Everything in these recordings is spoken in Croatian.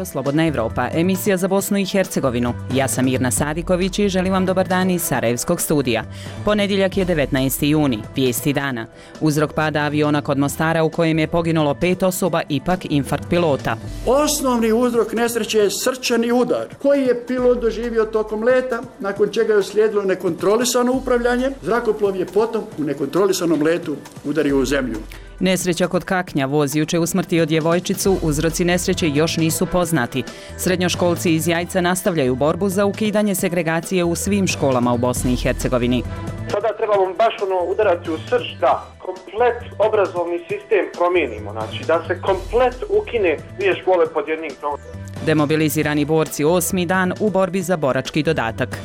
Radio Slobodna Evropa, emisija za Bosnu i Hercegovinu. Ja sam Mirna Sadiković i želim vam dobar dan iz Sarajevskog studija. Ponedjeljak je 19. juni, vijesti dana. Uzrok pada aviona kod Mostara u kojem je poginulo 5 osoba, ipak infarkt pilota. Osnovni uzrok nesreće je srčani udar koji je pilot doživio tokom leta, nakon čega je uslijedilo nekontrolisano upravljanje. Zrakoplov je potom u nekontrolisanom letu udario u zemlju. Nesreća kod Kaknja, voz juče usmrtio djevojčicu, uzroci nesreće još nisu poznati. Srednjoškolci iz Jajca nastavljaju borbu za ukidanje segregacije u svim školama u Bosni i Hercegovini. Sada trebamo baš udarati u srž da komplet obrazovni sistem promijenimo, znači da se komplet ukine dvije škole pod jednim krovom. Demobilizirani borci 8. dan u borbi za borački dodatak.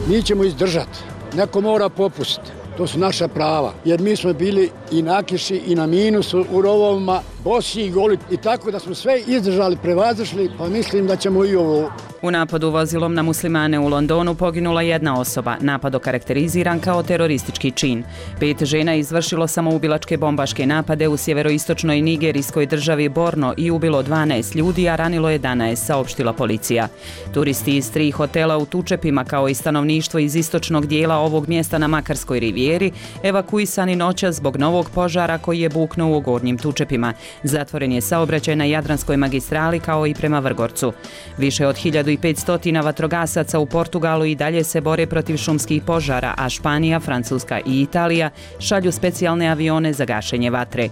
Mi ćemo izdržati, neko mora popustiti. To su naša prava, jer mi smo bili i na kiši i na minusu u rovovima, bosi i goli i tako da smo sve izdržali, prevazišli, pa mislim da ćemo i ovo. U napadu vozilom na muslimane u Londonu poginula 1 osoba, napad okarakteriziran kao teroristički čin. 5 žena izvršilo samoubilačke bombaške napade u sjeveroistočnoj nigerijskoj državi Borno i ubilo 12 ljudi, a ranilo 11, saopštila policija. Turisti iz 3 hotela u Tučepima kao i stanovništvo iz istočnog dijela ovog mjesta na Makarskoj rivijeri evakuisani noćas zbog novog požara koji je buknuo u Gornjim Tučepima. Zatvoren je saobraćaj na Jadranskoj magistrali kao i prema Vrgorcu. Više od 1500 vatrogasaca u Portugalu i dalje se bore protiv šumskih požara, a Španija, Francuska i Italija šalju specijalne avione za gašenje vatre.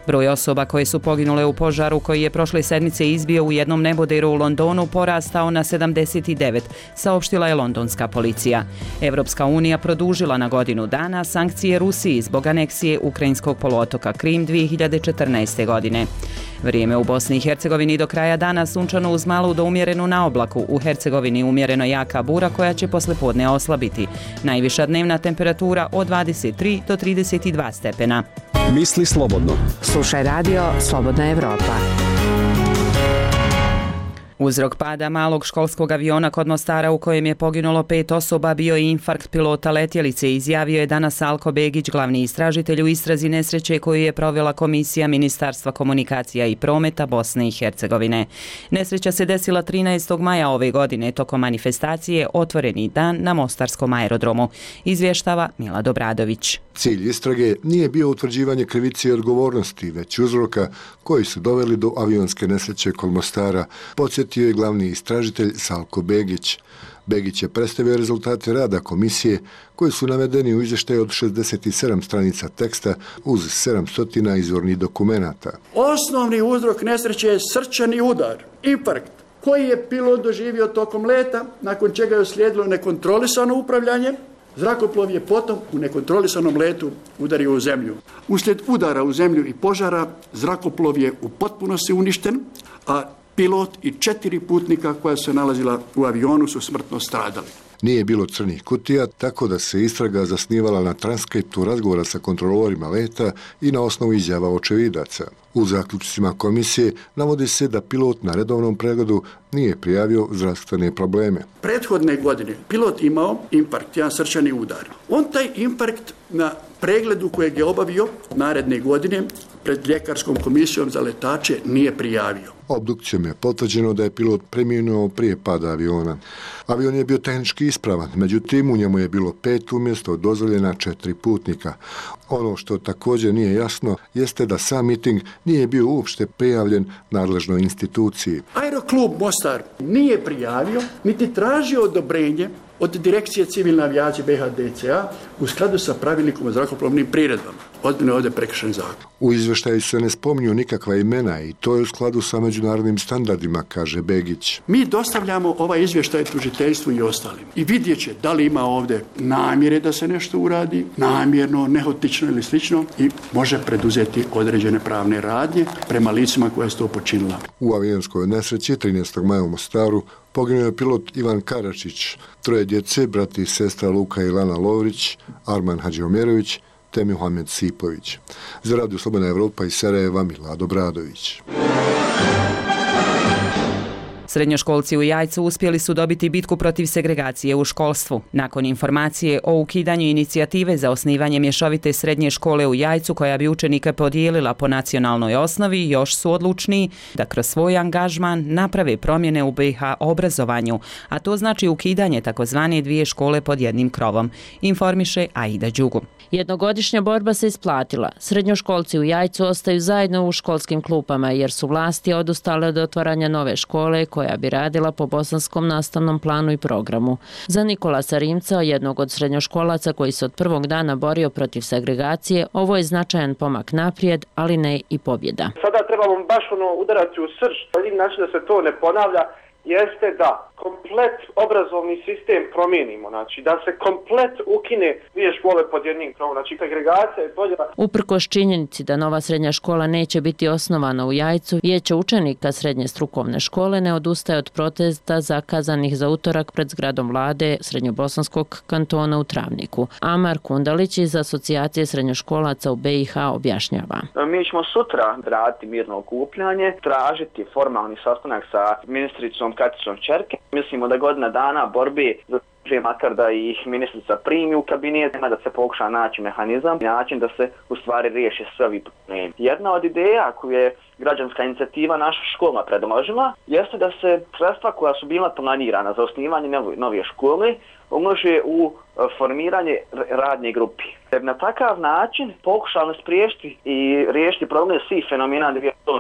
Broj osoba koje su poginule u požaru koji je prošle sedmice izbio u jednom neboderu u Londonu porastao na 79, saopštila je londonska policija. Evropska unija produžila na godinu dana sankcije Rusiji zbog aneksije ukrajinskog poluotoka Krim 2014. godine. Vrijeme u Bosni i Hercegovini do kraja dana sunčano uz malu do umjerenu na oblaku. U Hercegovini umjereno jaka bura koja će poslijepodne oslabiti. Najviša dnevna temperatura od 23 do 32 stepena. Misli slobodno. Slušaj radio Slobodna Evropa. Uzrok pada malog školskog aviona kod Mostara u kojem je poginulo 5 osoba bio je infarkt pilota letjelice, izjavio je danas Alko Begić, glavni istražitelj u istrazi nesreće koju je provela Komisija Ministarstva komunikacija i prometa Bosne i Hercegovine. Nesreća se desila 13. maja ove godine tokom manifestacije Otvoreni dan na Mostarskom aerodromu, izvještava Mila Dobradović. Cilj istrage nije bio utvrđivanje krivice i odgovornosti, već uzroka koji su doveli do avionske nesreće kod Mostara, podsjetio je glavni istražitelj Salko Begić. Begić je predstavio rezultate rada komisije koji su navedeni u izvještaju od 67 stranica teksta uz 700 izvornih dokumenata. Osnovni uzrok nesreće je srčani udar, infarkt, koji je pilot doživio tokom leta, nakon čega je uslijedilo nekontrolisano upravljanje. Zrakoplov je potom u nekontrolisanom letu udario u zemlju. Uslijed udara u zemlju i požara, zrakoplov je u potpunosti uništen, a pilot i 4 putnika koja su se nalazila u avionu su smrtno stradali. Nije bilo crnih kutija, tako da se istraga zasnivala na transkriptu razgovora sa kontrolorima leta i na osnovu izjava očevidaca. U zaključcima komisije navodi se da pilot na redovnom pregledu nije prijavio zdravstvene probleme. Prethodne godine pilot imao infarkt, jedan srčani udar. On taj infarkt na pregledu kojeg je obavio naredne godine pred ljekarskom komisijom za letače nije prijavio. Obdukcijom je potvrđeno da je pilot preminuo prije pada aviona. Avion je bio tehnički ispravan, međutim u njemu je bilo 5 umjesto dozvoljena 4 putnika. Ono što također nije jasno jeste da sam miting nije bio uopšte prijavljen nadležnoj instituciji. Aeroklub Mostar nije prijavio niti tražio odobrenje od Direkcije civilne avijacije BHDCA u skladu sa pravilnikom o zrakoplovnim priredbama. Ozbiljno je ovdje prekršen zakon. U izvještaju se ne spominju nikakva imena i to je u skladu sa međunarodnim standardima, kaže Begić. Mi dostavljamo ovaj izvještaj tužiteljstvu i ostalim. I vidjet će da li ima ovdje namjere da se nešto uradi, namjerno, nehotično ili slično i može preduzeti određene pravne radnje prema licima koja su to počinila. U avionskoj nesreći 13. maja u Mostaru poginuo je pilot Ivan Karačić, 3 djece, brati i sestra Luka i Lana Lovrić, Arman Hadžiomerović te Muhamed Sipović. Za Radio Slobodna Evropa iz Sarajeva, Mila Dobradović. Srednjoškolci u Jajcu uspjeli su dobiti bitku protiv segregacije u školstvu. Nakon informacije o ukidanju inicijative za osnivanje mješovite srednje škole u Jajcu koja bi učenike podijelila po nacionalnoj osnovi, još su odlučniji da kroz svoj angažman naprave promjene u BiH obrazovanju, a to znači ukidanje takozvane dvije škole pod jednim krovom, informiše Aida Đugum. Jednogodišnja borba se isplatila. Srednjoškolci u Jajcu ostaju zajedno u školskim klupama jer su vlasti odustale od otvaranja nove škole koja bi radila po bosanskom nastavnom planu i programu. Za Nikolasa Rimca, jednog od srednjoškolaca koji se od prvog dana borio protiv segregacije, ovo je značajan pomak naprijed, ali ne i pobjeda. Sada trebamo baš udarati u srž. Jedini način da se to ne ponavlja jeste da komplet obrazovni sistem promijenimo, znači da se komplet ukine dvije škole pod jednim krovom, znači segregacija i podjela. Uprkos činjenici da nova srednja škola neće biti osnovana u Jajcu, Vijeće učenika srednje strukovne škole ne odustaje od protesta zakazanih za utorak pred zgradom vlade Srednjobosanskog kantona u Travniku. Amar Kundalić iz Asocijacije srednjoškolaca u BiH objašnjava. Mi ćemo sutra raditi mirno okupljanje, tražiti formalni sastanak sa ministricom Katicom Čerke. Mislimo da godina dana borbi za makar da ih ministrica primi u kabinet, da se pokuša naći mehanizam, način da se u stvari riješi sve ovi problemi. Jedna od ideja koju je građanska inicijativa naša škola predložila jeste da se sredstva koja su bila planirana za osnivanje nove škole umnože u formiranje radne grupi. Na takav način pokušali spriječiti i riješiti problem svih fenomena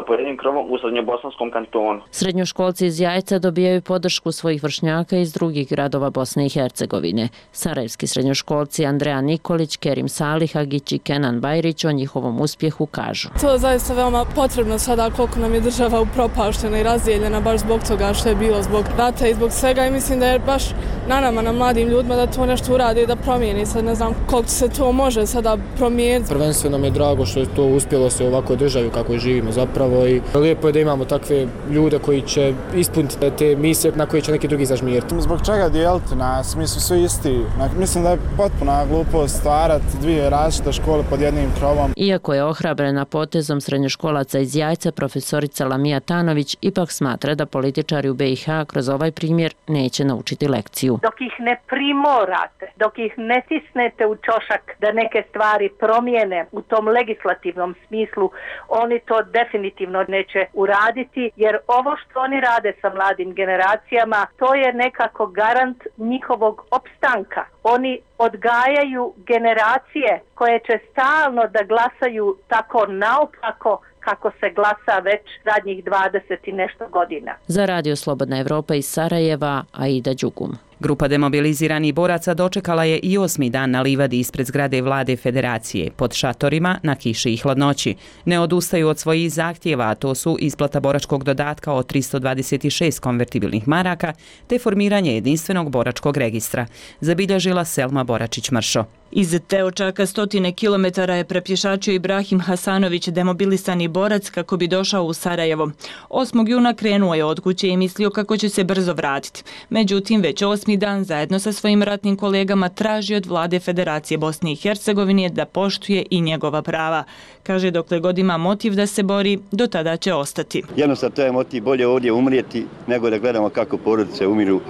po jednim krovom u Srednjobosanskom kantonu. Srednjoškolci iz Jajca dobijaju podršku svojih vršnjaka iz drugih gradova Bosne i Hercegovine. Sarajevski srednjoškolci Andreja Nikolić, Kerim Salihagić i Kenan Bajrić o njihovom uspjehu kažu. To je zaista veoma potrebno sada koliko nam je država upropaštena i razdijeljena baš zbog toga što je bilo zbog rata i zbog svega i mislim da je baš na nama, na mladim ljudima da to nešto urade i da promijeni. Sad ne znam koliko se to može sada promijeniti. Prvenstveno mi je drago što je to uspjelo se u ovakvoj državi kako živimo zapravo i lijepo je da imamo takve ljude koji će ispuniti te misije na koje će neki drugi zažmiriti. Zbog čega dijeliti nas? Mi smo svi isti. Mislim da je potpuna glupost stvarati dvije različite škole pod jednim krovom. Iako je ohrabrena potezom srednjoškolaca iz Jajca, profesorica Lamija Tanović ipak smatra da političari u BiH kroz ovaj primjer neće naučiti lekciju. Dok ih ne primorate, dok ih ne tisnete u čošak da neke stvari promijene u tom legislativnom smislu, oni to definitivno neće uraditi, jer ovo što oni rade sa mladim generacijama, to je nekako garant njihovog opstanka. Oni odgajaju generacije koje će stalno da glasaju tako naopako kako se glasa već zadnjih 20 i nešto godina. Za Radio Slobodna Evropa iz Sarajeva, Aida Đugum. Grupa demobiliziranih boraca dočekala je i 8. dan na livadi ispred zgrade vlade Federacije, pod šatorima, na kiši i hladnoći. Ne odustaju od svojih zahtjeva, a to su isplata boračkog dodatka od 326 konvertibilnih maraka, te formiranje jedinstvenog boračkog registra, zabilježila Selma Boračić-Mršo. Iz Teočaka 100 kilometara je prepješačio Ibrahim Hasanović, demobilisani borac, kako bi došao u Sarajevo. 8. juna krenuo je od kuće i mislio kako će se brzo vratiti. Međutim, već 8. dan zajedno sa svojim ratnim kolegama traži od vlade Federacije Bosne i Hercegovine da poštuje i njegova prava. Kaže, dokle god ima motiv da se bori, do tada će ostati. Jednostavno to je motiv, bolje ovdje umrijeti nego da gledamo kako porodice umiru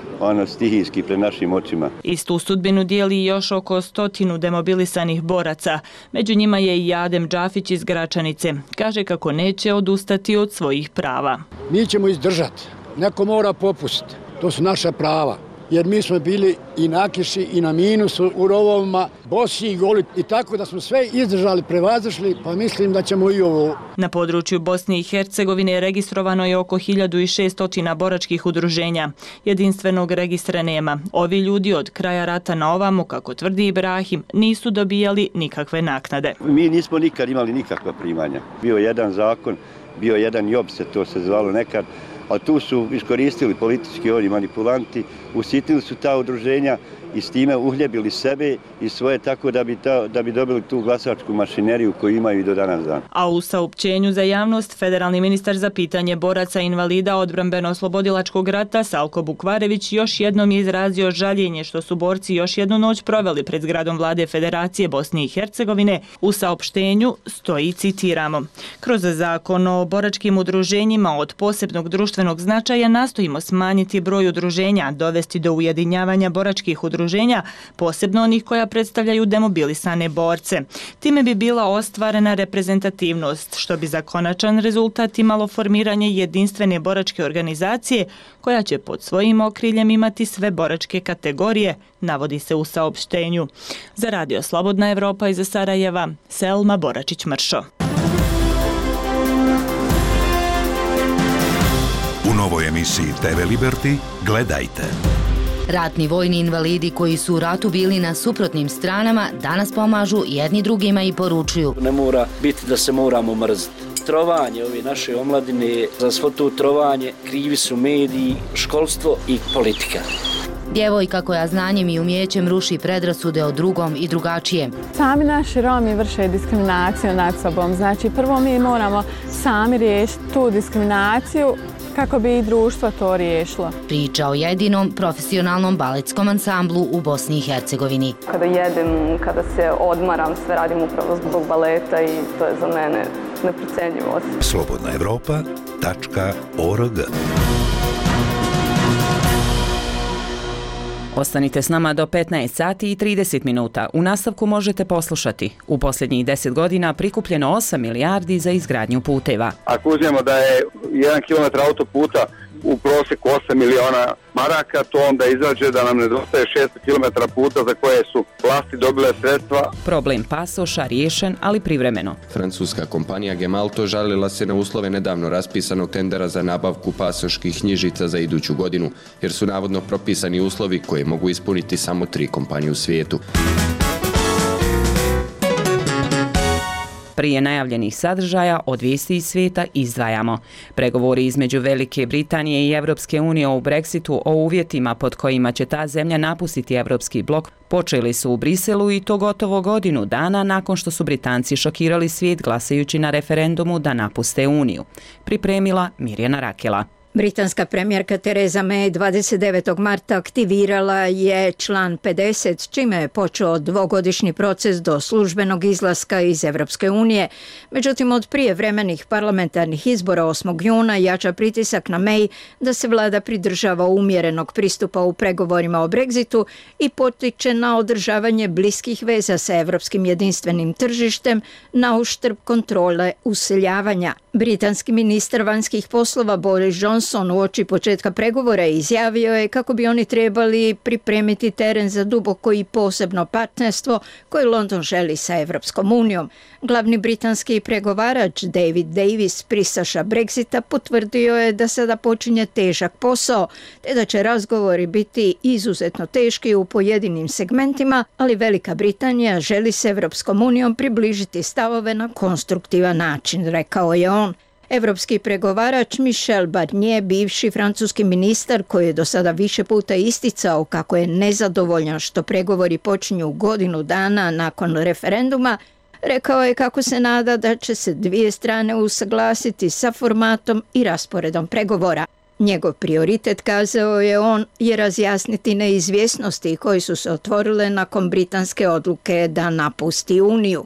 stihijski pred našim očima. Istu sudbinu dijeli još oko 100 demobilisanih boraca. Među njima je i Adem Džafić iz Gračanice. Kaže kako neće odustati od svojih prava. Mi ćemo izdržati. Neko mora popustiti. To su naša prava. Jer mi smo bili i na kiši i na minusu u rovovima, bosi i goli i tako da smo sve izdržali, prevazišli, pa mislim da ćemo i ovo. Na području Bosne i Hercegovine registrovano je oko 1600 boračkih udruženja. Jedinstvenog registra nema. Ovi ljudi od kraja rata na ovamo, kako tvrdi Ibrahim, nisu dobijali nikakve naknade. Mi nismo nikad imali nikakva primanja. Bio jedan zakon, bio jedan job, to se zvalo nekad, a tu su iskoristili politički oni manipulanti usitnili su ta udruženja i s time uhljebili sebe i svoje tako da bi dobili tu glasačku mašineriju koju imaju i do danas dana. A u saopćenju za javnost federalni ministar za pitanje boraca i invalida odbrambeno-oslobodilačkog rata Salko Bukvarević još jednom je izrazio žaljenje što su borci još jednu noć proveli pred zgradom vlade Federacije Bosne i Hercegovine. U saopštenju stoji, citiramo: kroz zakon o boračkim udruženjima od posebnog društvenog značaja nastojimo smanjiti broj udruženja, dovesti do ujedinjavanja boračkih udruženja, posebno onih koja predstavljaju demobilisane borce. Time bi bila ostvarena reprezentativnost, što bi za konačan rezultat imalo formiranje jedinstvene boračke organizacije koja će pod svojim okriljem imati sve boračke kategorije, navodi se u saopštenju. Za Radio Slobodna Evropa iz Sarajeva, Selma Boračić-Mršo. U novoj emisiji TV Liberty gledajte. Ratni vojni invalidi koji su u ratu bili na suprotnim stranama danas pomažu jedni drugima i poručuju: ne mora biti da se moramo mrziti. Trovanje ove naše omladine, za svo to trovanje krivi su mediji, školstvo i politika. Djevojka koja znanjem i umjećem ruši predrasude o drugom i drugačijem. Sami naši Romi vrše diskriminaciju nad sobom. Znači, prvo mi moramo sami riješiti tu diskriminaciju kako bi i društvo to riješilo. Priča o jedinom profesionalnom baletskom ansamblu u Bosni i Hercegovini. Kada jedem, kada se odmaram, sve radim upravo zbog baleta i to je za mene neprocenjivo. slobodnaevropa.org. Ostanite s nama do 15 sati i 30 minuta. U nastavku možete poslušati: u posljednjih 10 godina prikupljeno 8 milijardi za izgradnju puteva. Ako uzmemo da je 1 km autoputa u prosjeku 8 miliona maraka, to onda izađe da nam nedostaje 600 km puta za koje su vlasti dobile sredstva. Problem pasoša riješen, ali privremeno. Francuska kompanija Gemalto žalila se na uslove nedavno raspisanog tendera za nabavku pasoških knjižica za iduću godinu, jer su navodno propisani uslovi koje mogu ispuniti samo 3 kompanije u svijetu. Prije najavljenih sadržaja od vijesti iz svijeta izdvajamo: pregovori između Velike Britanije i Evropske unije o Brexitu o uvjetima pod kojima će ta zemlja napustiti Evropski blok počeli su u Briselu, i to gotovo godinu dana nakon što su Britanci šokirali svijet glasajući na referendumu da napuste Uniju. Pripremila Mirjana Rakela. Britanska premijerka Theresa May 29. marta aktivirala je član 50, čime je počeo dvogodišnji proces do službenog izlaska iz Evropske unije. Međutim, od prijevremenih parlamentarnih izbora 8. juna jača pritisak na May da se vlada pridržava umjerenog pristupa u pregovorima o Brexitu i potiče na održavanje bliskih veza sa evropskim jedinstvenim tržištem na uštrb kontrole useljavanja. Britanski ministar vanjskih poslova Boris Johnson uoči početka pregovora izjavio je kako bi oni trebali pripremiti teren za duboko i posebno partnerstvo koje London želi sa Evropskom unijom. Glavni britanski pregovarač David Davis, pristaša Brexita, potvrdio je da sada počinje težak posao, te da će razgovori biti izuzetno teški u pojedinim segmentima, ali Velika Britanija želi s Evropskom unijom približiti stavove na konstruktivan način, rekao je on. Evropski pregovarač Michel Barnier, bivši francuski ministar koji je do sada više puta isticao kako je nezadovoljan što pregovori počinju godinu dana nakon referenduma, rekao je kako se nada da će se dvije strane usaglasiti sa formatom i rasporedom pregovora. Njegov prioritet, kazao je on, je razjasniti neizvjesnosti koji su se otvorile nakon britanske odluke da napusti Uniju.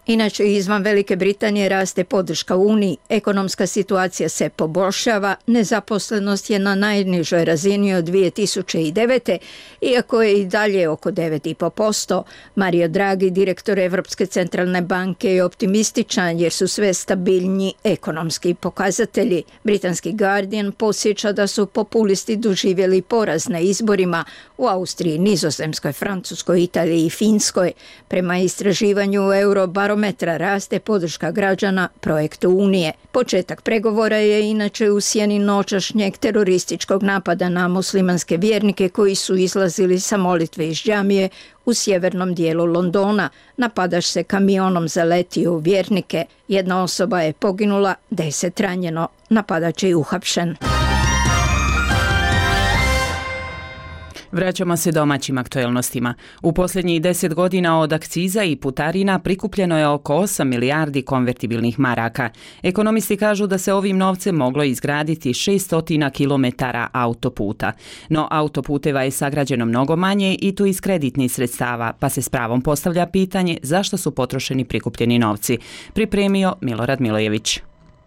Inače, izvan Velike Britanije raste podrška Uniji, ekonomska situacija se poboljšava, nezaposlenost je na najnižoj razini od 2009. iako je i dalje oko 9,5%. Mario Draghi, direktor Evropske centralne banke, je optimističan jer su sve stabilnji ekonomski pokazatelji. Britanski Guardian podsjeća da su populisti doživjeli poraz na izborima u Austriji, Nizozemskoj, Francuskoj, Italiji i Finskoj. Prema istraživanju Eurobarometra raste podrška građana projektu Unije. Početak pregovora je inače u sjeni noćašnjeg terorističkog napada na muslimanske vjernike koji su izlazili sa molitve iz džamije u sjevernom dijelu Londona. Napadač se kamionom zaletio u vjernike. Jedna osoba je poginula, 10 ranjeno. Napadač je uhapšen. Vraćamo se domaćim aktuelnostima. U posljednjih 10 godina od akciza i putarina prikupljeno je oko 8 milijardi konvertibilnih maraka. Ekonomisti kažu da se ovim novcem moglo izgraditi 600 kilometara autoputa. No autoputeva je sagrađeno mnogo manje i to iz kreditnih sredstava, pa se s pravom postavlja pitanje zašto su potrošeni prikupljeni novci. Pripremio Milorad Milojević.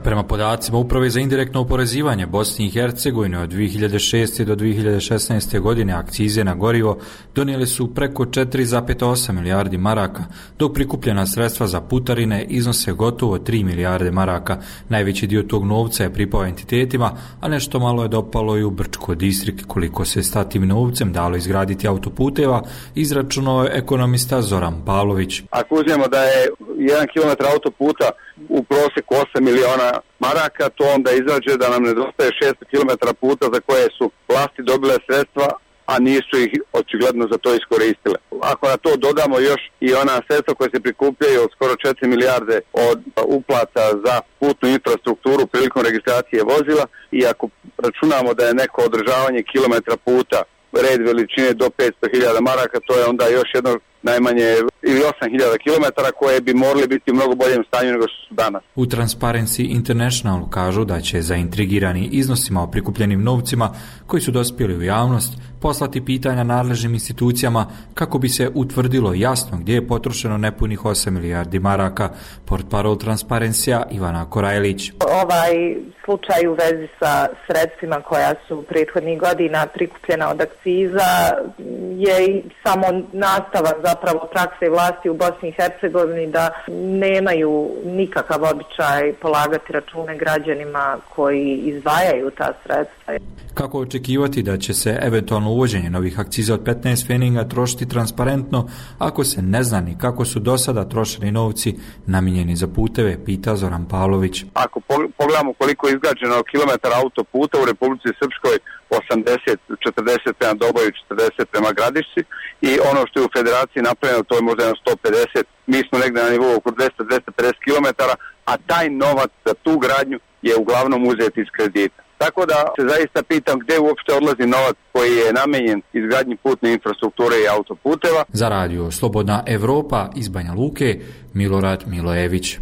Prema podacima Uprave za indirektno oporezivanje Bosni i Hercegovine od 2006. do 2016. godine akcize na gorivo donijeli su preko 4,8 milijardi maraka, dok prikupljena sredstva za putarine iznose gotovo 3 milijarde maraka. Najveći dio tog novca je pripao entitetima, a nešto malo je dopalo i u Brčko Distrik. Koliko se s tim novcem dalo izgraditi autoputeva, izračunao je ekonomista Zoran Pavlović. Ako uzmemo da je 1 km autoputa u prosjeku 8 miliona maraka, to onda izađe da nam nedostaje 600 km puta za koje su vlasti dobile sredstva, a nisu ih očigledno za to iskoristile. Ako na to dodamo još i ona sredstva koje se prikupljaju od skoro 4 milijarde od uplata za putnu infrastrukturu prilikom registracije vozila i ako računamo da je neko održavanje kilometra puta red veličine do 500.000 maraka, to je onda još jedno najmanje ili 8.000 km koje bi morali biti u mnogo boljem stanju nego što su danas. U Transparency International kažu da će zaintrigirani iznosima o prikupljenim novcima koji su dospjeli u javnost poslati pitanja nadležnim institucijama kako bi se utvrdilo jasno gdje je potrošeno nepunih 8 milijardi maraka. Portparol Transparencija Ivana Korajlić. Ovaj slučaj u vezi sa sredstvima koja su prethodnih godina prikupljena od akciza je samo nastavak zapravo prakse vlasti u Bosni i Hercegovini da nemaju nikakav običaj polagati račune građanima koji izdvajaju ta sredstva. Kako očekivati da će se eventualno uvođenje novih akciza od 15 pfeninga trošiti transparentno ako se ne zna ni kako su do sada trošeni novci namijenjeni za puteve, pita Zoran Pavlović. Ako pogledamo koliko je izgrađeno kilometara autoputa u Republici Srpskoj, 80, 40 prema Doboju, 40 prema Gradišci i ono što je u Federaciji napravljeno, to je možda 150, mi smo negdje na nivou oko 200-250 km, a taj novac za tu gradnju je uglavnom uzet iz kredita. Tako da se zaista pitam gdje uopšte odlazi novac koji je namenjen izgradnji putne infrastrukture i autoputeva. Za radio Slobodna Evropa iz Banja Luke, Milorad Milojević.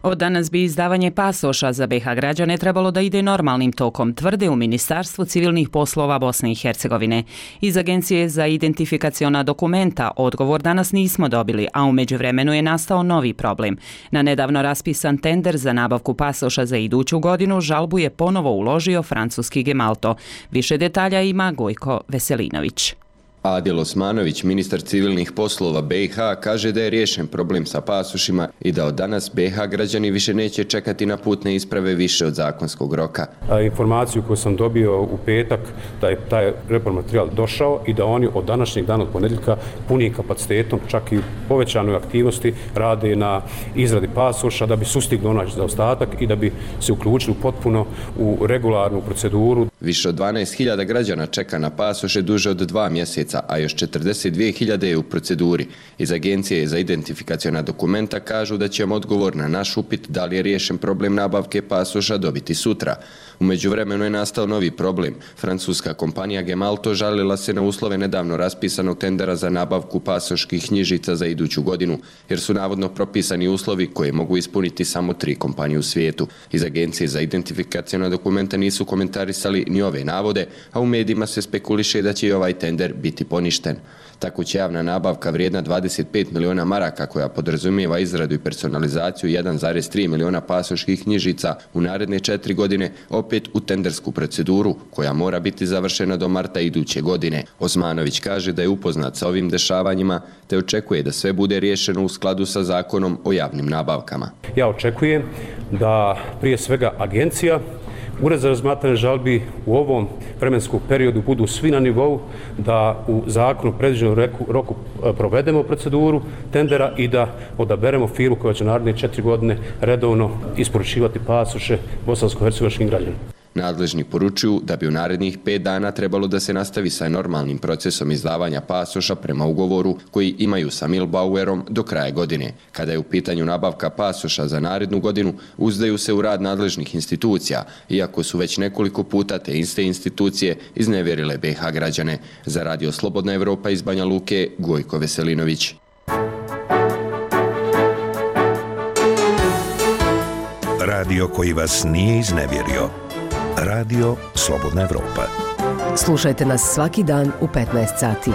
Od danas bi izdavanje pasoša za BiH građane trebalo da ide normalnim tokom, tvrde u Ministarstvu civilnih poslova Bosne i Hercegovine. Iz Agencije za identifikaciona dokumenta odgovor danas nismo dobili, a u međuvremenu je nastao novi problem. Na nedavno raspisan tender za nabavku pasoša za iduću godinu žalbu je ponovo uložio francuski Gemalto. Više detalja ima Gojko Veselinović. Adil Osmanović, ministar civilnih poslova BiH, kaže da je riješen problem sa pasošima i da od danas BiH građani više neće čekati na putne isprave više od zakonskog roka. Informaciju koju sam dobio u petak da je taj repromaterijal došao i da oni od današnjeg dana od ponedjeljka punim kapacitetom, čak i povećanoj aktivnosti, rade na izradi pasoša da bi sustigli onaj zaostatak i da bi se uključili potpuno u regularnu proceduru. Više od 12.000 građana čeka na pasoše duže od 2 mjeseca, a još 42.000 je u proceduri. Iz Agencije za identifikaciona dokumenta kažu da ćemo odgovor na naš upit da li je riješen problem nabavke pasoša dobiti sutra. U međuvremenu je nastao novi problem. Francuska kompanija Gemalto žalila se na uslove nedavno raspisanog tendera za nabavku pasoških knjižica za iduću godinu, jer su navodno propisani uslovi koje mogu ispuniti samo 3 kompanije u svijetu. Iz Agencije za identifikaciona dokumenta nisu komentarisali ni ove navode, a u medijima se spekuliše da će i ovaj tender biti poništen. Tako će javna nabavka vrijedna 25 miliona maraka, koja podrazumijeva izradu i personalizaciju 1,3 miliona pasoških knjižica u naredne 4 godine, opet u tendersku proceduru koja mora biti završena do marta iduće godine. Osmanović kaže da je upoznat sa ovim dešavanjima te očekuje da sve bude riješeno u skladu sa zakonom o javnim nabavkama. Ja očekujem da prije svega agencija, Ured za razmatranje žalbi u ovom vremenskom periodu budu svi na nivou, da u zakonu predviđenom roku provedemo proceduru tendera i da odaberemo firmu koja će naredne 4 godine redovno isporučivati pasoše bosansko-hercegovačkim građanima. Nadležni poručuju da bi u narednih 5 dana trebalo da se nastavi sa normalnim procesom izdavanja pasoša prema ugovoru koji imaju sa Milbauerom do kraja godine. Kada je u pitanju nabavka pasoša za narednu godinu, uzdaju se u rad nadležnih institucija, iako su već nekoliko puta te iste institucije iznevjerile BiH građane. Za Radio Slobodna Evropa iz Banja Luke, Gojko Veselinović. Radio koji vas nije iznevjerio. Radio Slobodna Evropa. Slušajte nas svaki dan u 15 sati.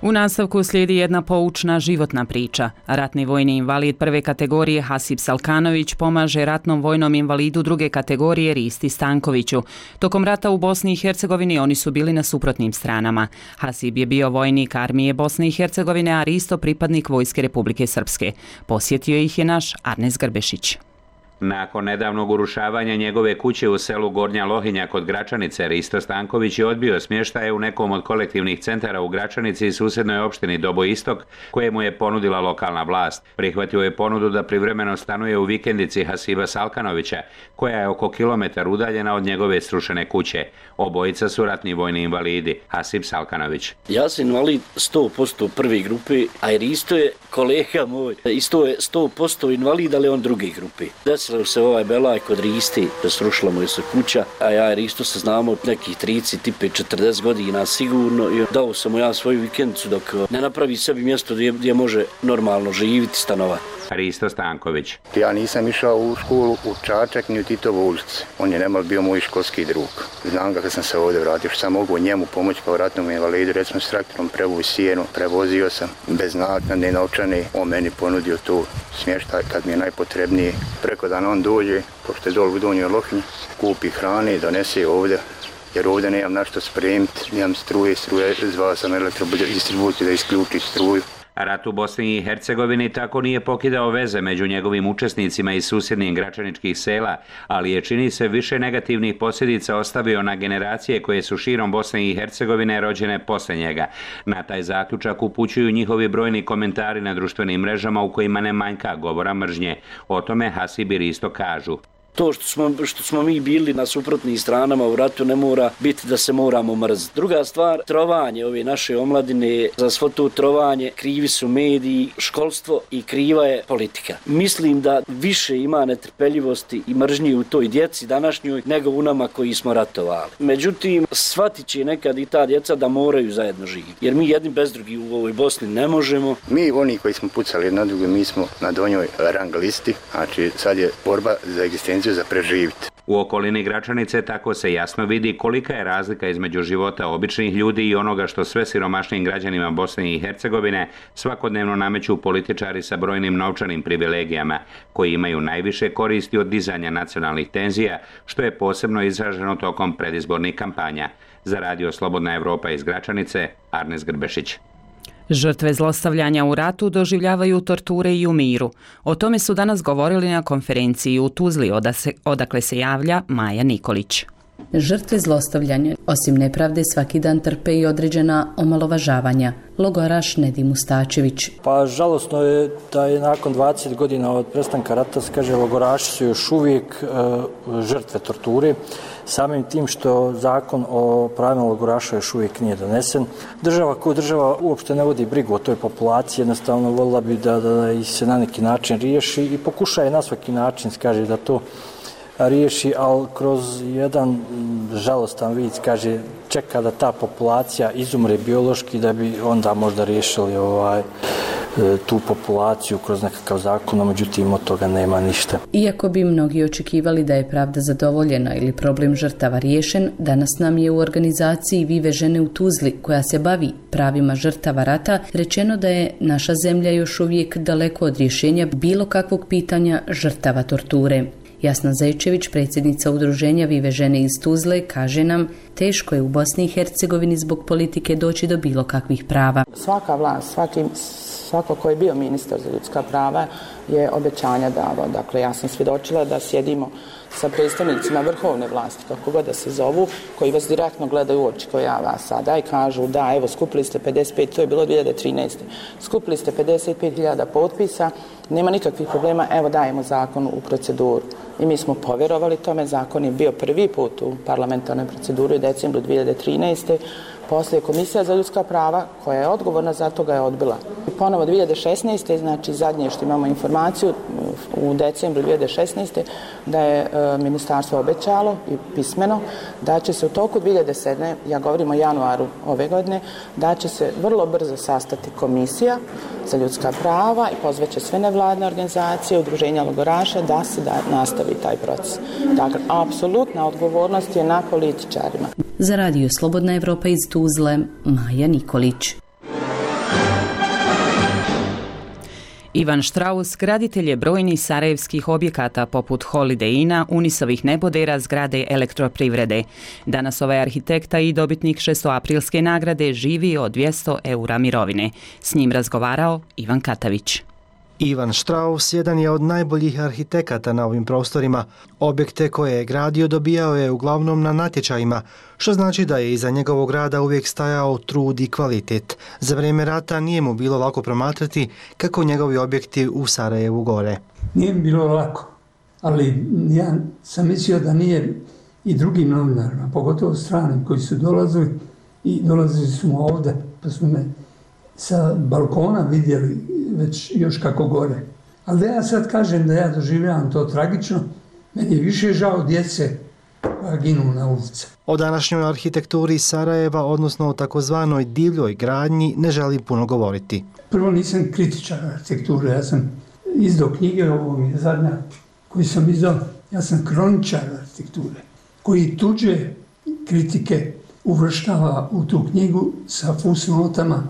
U nastavku slijedi jedna poučna životna priča. Ratni vojni invalid prve kategorije Hasip Salkanović pomaže ratnom vojnom invalidu druge kategorije Risti Stankoviću. Tokom rata u Bosni i Hercegovini oni su bili na suprotnim stranama. Hasip je bio vojnik armije Bosne i Hercegovine, a Risto pripadnik Vojske Republike Srpske. Posjetio ih je naš Arnes Grbešić. Nakon nedavnog urušavanja njegove kuće u selu Gornja Lohinja kod Gračanice, Risto Stanković je odbio smještaje u nekom od kolektivnih centara u Gračanici i susjednoj opštini Dobo Istok, koje mu je ponudila lokalna vlast. Prihvatio je ponudu da privremeno stanuje u vikendici Hasiba Salkanovića, koja je oko kilometar udaljena od njegove srušene kuće. Obojica su ratni vojni invalidi. Hasib Salkanović. Ja sam invalid 100% prve grupe, a Risto je kolega moj. Isto je 100% invalid, ali on druge grupe. Desilo se ovaj belaj kod Risti, da srušila mu je se kuća, a ja i Risto se znamo nekih 30-40 godina sigurno i dao sam mu ja svoju vikendicu dok ne napravi sebi mjesto gdje može normalno živjeti, stanovati. Risto Stanković. Ja nisam išao u školu u Čačak ni u Titovu ulicu. On je nemal bio moj školski drug. Znam ga kad sam se ovdje vratio, što sam mogu njemu pomoći kao ratnom invalidu. Recimo s traktorom prevuzi sjenu, prevozio sam bez naknade novčane. On meni ponudio tu smještaj kad mi je najpotrebnije. Preko dana on dođe, pošto je dol u Donjoj Lohinji, kupi hrane i donese ovdje. Jer ovdje nemam na što spremiti, nemam struje, zvao sam elektrodistribuciju da isključi struju. Rat u Bosni i Hercegovini tako nije pokidao veze među njegovim učesnicima iz susjednih gračaničkih sela, ali je, čini se, više negativnih posljedica ostavio na generacije koje su širom Bosne i Hercegovine rođene posle njega. Na taj zaključak upućuju njihovi brojni komentari na društvenim mrežama u kojima ne manjka govora mržnje. O tome Hasib i Risto kažu. To što smo mi bili na suprotnim stranama u ratu ne mora biti da se moramo mrziti. Druga stvar, trovanje ove naše omladine, za svo to trovanje krivi su mediji, školstvo i kriva je politika. Mislim da više ima netrpeljivosti i mržnji u toj djeci današnjoj nego u nama koji smo ratovali. Međutim, shvatit će nekad i ta djeca da moraju zajedno živjeti. Jer mi jedni bez drugi u ovoj Bosni ne možemo. Mi, oni koji smo pucali na druge, mi smo na donjoj rang listi. Znači, sad je borba za egzistenciju, za preživiti. U okolini Gračanice tako se jasno vidi kolika je razlika između života običnih ljudi i onoga što sve siromašnijim građanima Bosne i Hercegovine svakodnevno nameću političari sa brojnim novčanim privilegijama, koji imaju najviše koristi od dizanja nacionalnih tenzija, što je posebno izraženo tokom predizbornih kampanja. Za Radio Slobodna Evropa iz Gračanice, Arnes Grbešić. Žrtve zlostavljanja u ratu doživljavaju torture i u miru. O tome su danas govorili na konferenciji u Tuzli, odakle se javlja Maja Nikolić. Žrtve zlostavljanja, osim nepravde, svaki dan trpe i određena omalovažavanja. Logoraš Nedim Mustačević. Pa žalosno je da je nakon 20 godina od prestanka rata, kaže, logoraši su još uvijek žrtve torture, samim tim što zakon o pravima logoraša još uvijek nije donesen. Država kao država uopšte ne vodi brigu o toj populaciji, jednostavno volila bi da ih se na neki način riješi i pokušaje na svaki način, kaže, da to riješi, ali kroz jedan žalostan vid, kaže, čeka da ta populacija izumre biološki da bi onda možda riješili tu populaciju kroz nekakav zakon, no međutim od toga nema ništa. Iako bi mnogi očekivali da je pravda zadovoljena ili problem žrtava riješen, danas nam je u organizaciji Vive žene u Tuzli, koja se bavi pravima žrtava rata, rečeno da je naša zemlja još uvijek daleko od rješenja bilo kakvog pitanja žrtava torture. Jasna Zajčević, predsjednica udruženja Vive žene iz Tuzle, kaže nam, teško je u Bosni i Hercegovini zbog politike doći do bilo kakvih prava. Svaka vlast, Svako ko je bio ministar za ljudska prava je obećanja davao. Dakle, ja sam svjedočila da sjedimo sa predstavnicima vrhovne vlasti, kako god da se zovu, koji vas direktno gledaju u oči, koji ja vas sada i kažu da, evo, skupili ste 55, to je bilo 2013. Skupili ste 55.000 potpisa, nema nikakvih problema, evo dajemo zakon u proceduru. I mi smo povjerovali tome, zakon je bio prvi put u parlamentarnoj proceduri u decembru 2013. Poslije Komisija za ljudska prava, koja je odgovorna za to, ga je odbila. Ponovo 2016. znači zadnje što imamo informaciju u decembru 2016. da je ministarstvo obećalo i pismeno da će se u toku 2007. ja govorim o januaru ove godine, da će se vrlo brzo sastati Komisija za ljudska prava i pozvaće sve nevladne organizacije, udruženja logoraša da se nastavi taj proces. Dakle, apsolutna odgovornost je na političarima. Za Radio Slobodna Evropa iz Tuzle, Maja Nikolić. Ivan Štraus, graditelj je brojnih sarajevskih objekata poput Holiday Inna, Unisovih nebodera, zgrade Elektroprivrede. Danas ovaj arhitekta i dobitnik 600-aprilske nagrade živi od 200 € mirovine. S njim razgovarao Ivan Katavić. Ivan Štraus jedan je od najboljih arhitekata na ovim prostorima. Objekte koje je gradio dobijao je uglavnom na natječajima, što znači da je iza njegovog rada uvijek stajao trud i kvalitet. Za vrijeme rata nije mu bilo lako promatrati kako njegovi objekti u Sarajevu gore. Nije mi bilo lako, ali ja sam mislio da nije i drugim novinarima, pogotovo stranim koji su dolazili i dolazili su ovdje, pa su me sa balkona vidjeli već još kako gore. Ali da ja sad kažem da ja doživljavam to tragično, meni je više žao djece koja ginu na ulici. O današnjoj arhitekturi Sarajeva, odnosno o takozvanoj divljoj gradnji, ne želim puno govoriti. Prvo nisam kritičar arhitekture, ja sam izdao knjige, ovo mi je zadnja koju sam izdao, ja sam kroničar arhitekture, koji tuđe kritike uvrštava u tu knjigu sa fusnotama,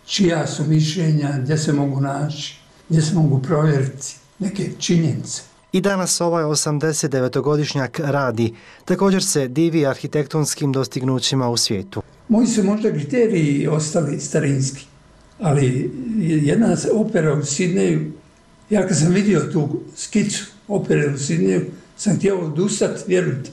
čija su mišljenja, gdje se mogu naći, gdje se mogu provjeriti neke činjenice. I danas ovaj 89-godišnjak radi. Također se divi arhitektonskim dostignućima u svijetu. Moji su možda kriteriji ostali starinski, ali jedna opera u Sidneju, ja kad sam vidio tu skicu opere u Sidneju, sam htio odustati, vjerujte,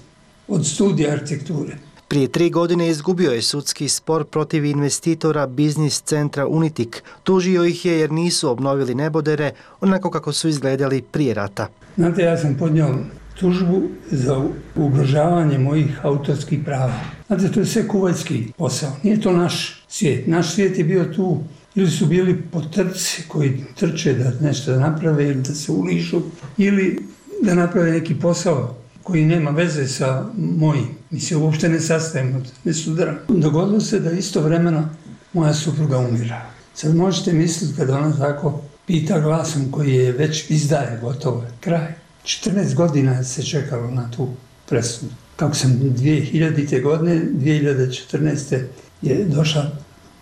od studija arhitekture. Prije 3 godine izgubio je sudski spor protiv investitora biznis centra Unitik. Tužio ih je jer nisu obnovili nebodere onako kako su izgledali prije rata. Znate, ja sam podnio tužbu za ugrožavanje mojih autorskih prava. Znate, to je sve kuvajski posao. Nije to naš svijet. Naš svijet je bio tu, ili su bili potrci koji trče da nešto naprave ili da se ulišu, ili da naprave neki posao koji nema veze sa mojim. Mi se uopšte ne sastajemo, ne sudaramo. Dogodilo se da istovremeno moja supruga umira. Sad možete misliti kada ona tako pita glasom koji je već izdaje, gotovo je, kraj. 14 godina se čekalo na tu presudu. Kako sam 2000. godine, 2014. je došla,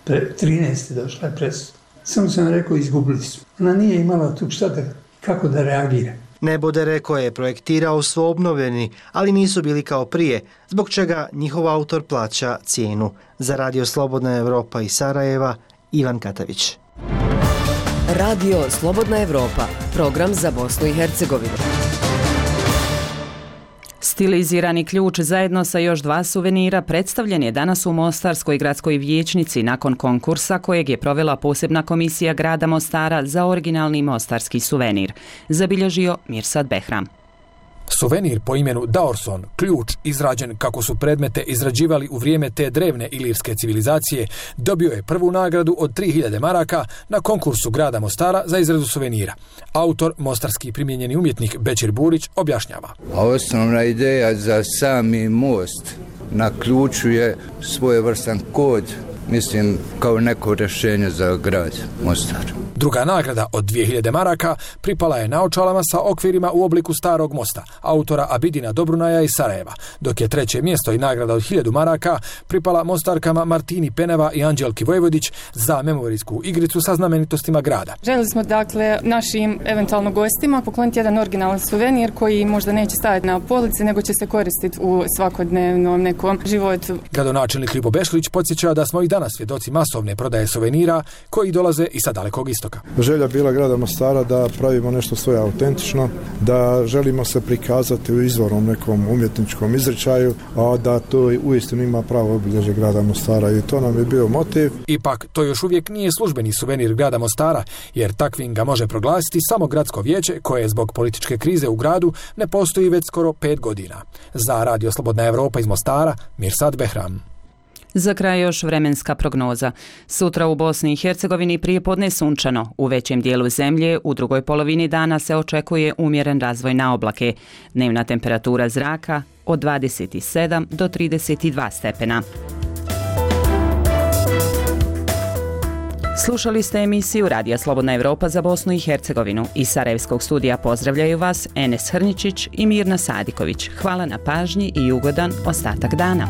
13. došla je presuda. Samo sam rekao, izgubili su. Ona nije imala tu kako da reagira. Nebodere koje je projektirao su obnovljeni, ali nisu bili kao prije, zbog čega njihov autor plaća cijenu. Za Radio Slobodna Evropa iz Sarajeva, Ivan Katavić. Radio Slobodna Evropa, program za Bosnu i Hercegovinu. Stilizirani ključ zajedno sa još 2 suvenira predstavljen je danas u Mostarskoj gradskoj vijećnici nakon konkursa kojeg je provela posebna komisija grada Mostara za originalni mostarski suvenir. Zabilježio Mirsad Behram. Suvenir po imenu Daorson, ključ izrađen kako su predmete izrađivali u vrijeme te drevne ilirske civilizacije, dobio je prvu nagradu od 3000 maraka na konkursu grada Mostara za izradu suvenira. Autor, mostarski primijenjeni umjetnik Bećir Burić, objašnjava. Osnovna ideja za sami most na ključu je svojevrstan kod, mislim, kao neko rješenje za grad Mostar. Druga nagrada od 2000 maraka pripala je naočalama sa okvirima u obliku starog mosta, autora Abidina Dobrunaja iz Sarajeva, dok je treće mjesto i nagrada od 1000 maraka pripala Mostarkama Martini Peneva i Anđelki Vojvodić za memorijsku igricu sa znamenitostima grada. Želili smo dakle našim eventualno gostima pokloniti jedan originalan suvenir koji možda neće stajati na polici, nego će se koristiti u svakodnevnom nekom životu. Gradonačelnik Ljubo Bešlić podsjeća da smo i danas danas svjedoci masovne prodaje suvenira koji dolaze i sa Dalekog istoka. Želja bila grada Mostara da pravimo nešto svoje autentično, da želimo se prikazati u izvornom nekom umjetničkom izričaju, a da to uistinu ima pravo obilježje grada Mostara i to nam je bio motiv. Ipak, to još uvijek nije službeni suvenir grada Mostara, jer takvim ga može proglasiti samo gradsko vijeće koje zbog političke krize u gradu ne postoji već skoro 5 godina. Za Radio Slobodna Evropa iz Mostara, Mirsad Behram. Za kraj još vremenska prognoza. Sutra u Bosni i Hercegovini prijepodne sunčano. U većem dijelu zemlje u drugoj polovini dana se očekuje umjeren razvoj na oblake. Dnevna temperatura zraka od 27 do 32 stepena. Slušali ste emisiju Radija Slobodna Evropa za Bosnu i Hercegovinu. Iz Sarajevskog studija pozdravljaju vas Enes Hrničić i Mirna Sadiković. Hvala na pažnji i ugodan ostatak dana.